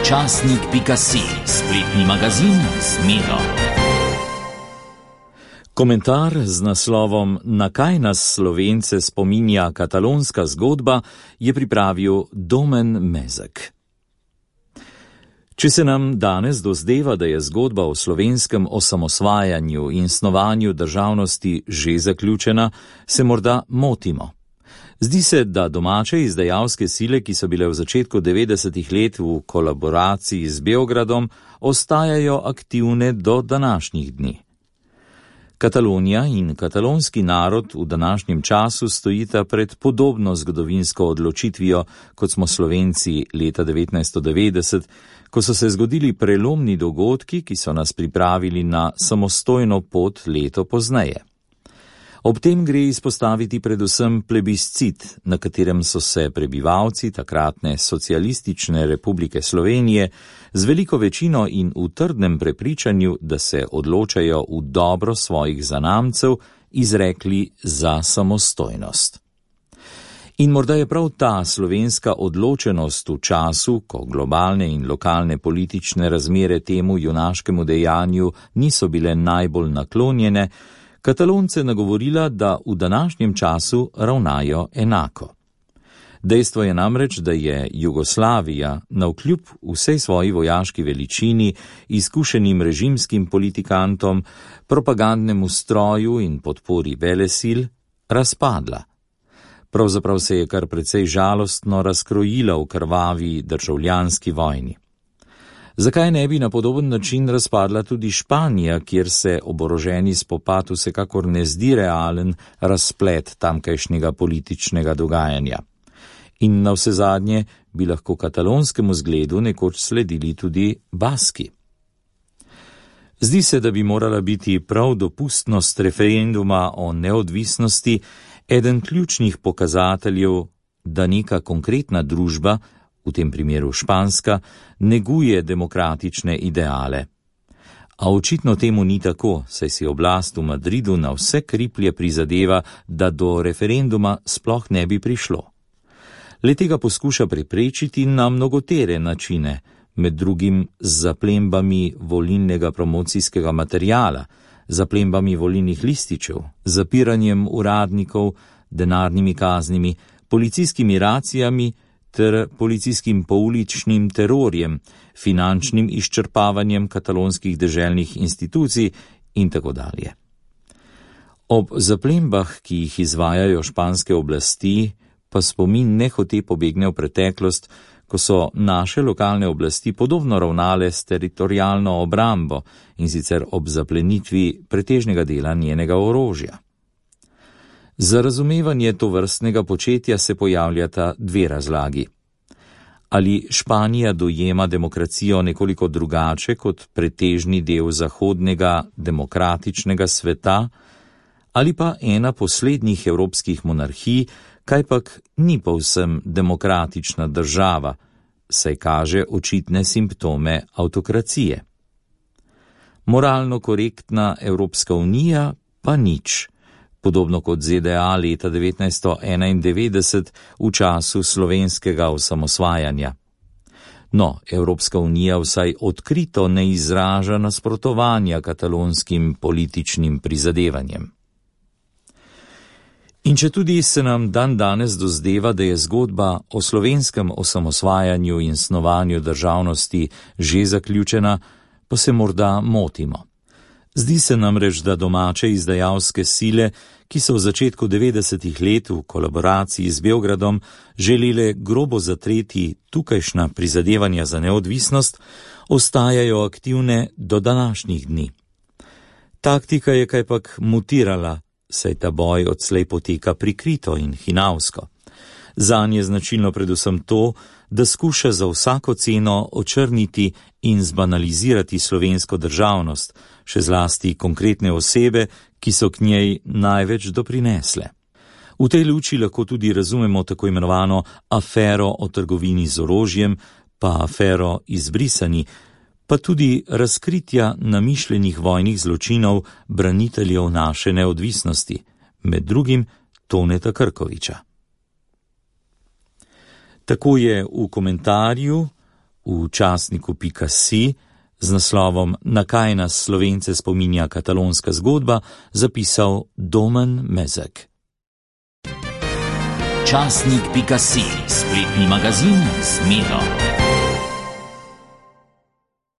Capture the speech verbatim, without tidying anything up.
Časnik pika si, spletni magazin z Miro. Komentar z naslovom Na kaj nas Slovence spominja katalonska zgodba je pripravil Domen Mezek. Če se nam danes dozdeva, da je zgodba o slovenskem osamosvajanju in snovanju državnosti že zaključena, se morda motimo. Zdi se, da domače izdajalske sile, ki so bile v začetku devetdesetih let v kolaboraciji z Beogradom, ostajajo aktivne do današnjih dni. Katalonija in katalonski narod v današnjem času stojita pred podobno zgodovinsko odločitvijo, kot smo Slovenci leta devetnajststo devetdeset, ko so se zgodili prelomni dogodki, ki so nas pripravili na samostojno pot leto pozneje. Ob tem gre izpostaviti predvsem plebiscit, na katerem so se prebivalci takratne socialistične republike Slovenije z veliko večino in v trdnem prepričanju, da se odločajo v dobro svojih zanamcev, izrekli za samostojnost. In morda je prav ta slovenska odločenost v času, ko globalne in lokalne politične razmere temu junaškemu dejanju niso bile najbolj naklonjene, Katalonce nagovorila, da v današnjem času ravnajo enako. Dejstvo je namreč, da je Jugoslavija navkljub vsej svoji vojaški veličini, izkušenim režimskim politikantom, propagandnemu stroju in podpori velesil razpadla. Pravzaprav se je kar precej žalostno razkrojila v krvavi državljanski vojni. Zakaj ne bi na podoben način razpadla tudi Španija, kjer se oboroženi spopad vsekakor ne zdi realen razplet tamkajšnjega političnega dogajanja? In navsezadnje bi lahko katalonskemu zgledu nekoč sledili tudi Baski. Zdi se, da bi morala biti prav dopustnost referenduma o neodvisnosti eden ključnih pokazateljev, da neka konkretna družba, v tem primeru španska, neguje demokratične ideale. A očitno temu ni tako, saj si oblast v Madridu na vse kriplje prizadeva, da do referenduma sploh ne bi prišlo. Le tega poskuša preprečiti na mnogotere načine, med drugim z zaplembami volilnega promocijskega materijala, zaplembami volilnih lističev, zapiranjem uradnikov, denarnimi kaznimi, policijskimi racijami ter policijskim pouličnim terorjem, finančnim izčrpavanjem katalonskih deželnih institucij in tako dalje. Ob zaplembah, ki jih izvajajo španske oblasti, pa spomin nehote pobegne v preteklost, ko so naše lokalne oblasti podobno ravnale s teritorialno obrambo in sicer ob zaplenitvi pretežnega dela njenega orožja. Za razumevanje tovrstnega početja se pojavljata dve razlagi. Ali Španija dojema demokracijo nekoliko drugače kot pretežni del zahodnega demokratičnega sveta, ali pa ena poslednjih evropskih monarhij, kajpak ni povsem demokratična država, saj kaže očitne simptome avtokracije. Moralno korektna Evropska unija pa nič, podobno kot Z D A leta devetnajststo enaindevetdeset v času slovenskega osamosvajanja. No, Evropska unija vsaj odkrito ne izraža nasprotovanja katalonskim političnim prizadevanjem. In če tudi se nam dan danes dozdeva, da je zgodba o slovenskem osamosvajanju in snovanju državnosti že zaključena, pa se morda motimo. Zdi se namreč, da domače izdajalske sile, ki so v začetku devetdesetih let v kolaboraciji z Beogradom želele grobo zatreti tukajšnja prizadevanja za neodvisnost, ostajajo aktivne do današnjih dni. Taktika je kajpak mutirala, saj ta boj odslej poteka prikrito in hinavsko. Zanj je značilno predvsem to, da skuša za vsako ceno očrniti in zbanalizirati slovensko državnost, še zlasti konkretne osebe, ki so k njej največ doprinesle. V tej luči lahko tudi razumemo tako imenovano afero o trgovini z orožjem, pa afero izbrisani, pa tudi razkritja namišljenih vojnih zločinov braniteljev naše neodvisnosti, med drugim Toneta Krkoviča. Tako je v komentarju v časniku pika si z naslovom Na kaj nas Slovence spominja katalonska zgodba zapisal Domen Mezek. Časnik pika si, spletni magazin z Miro.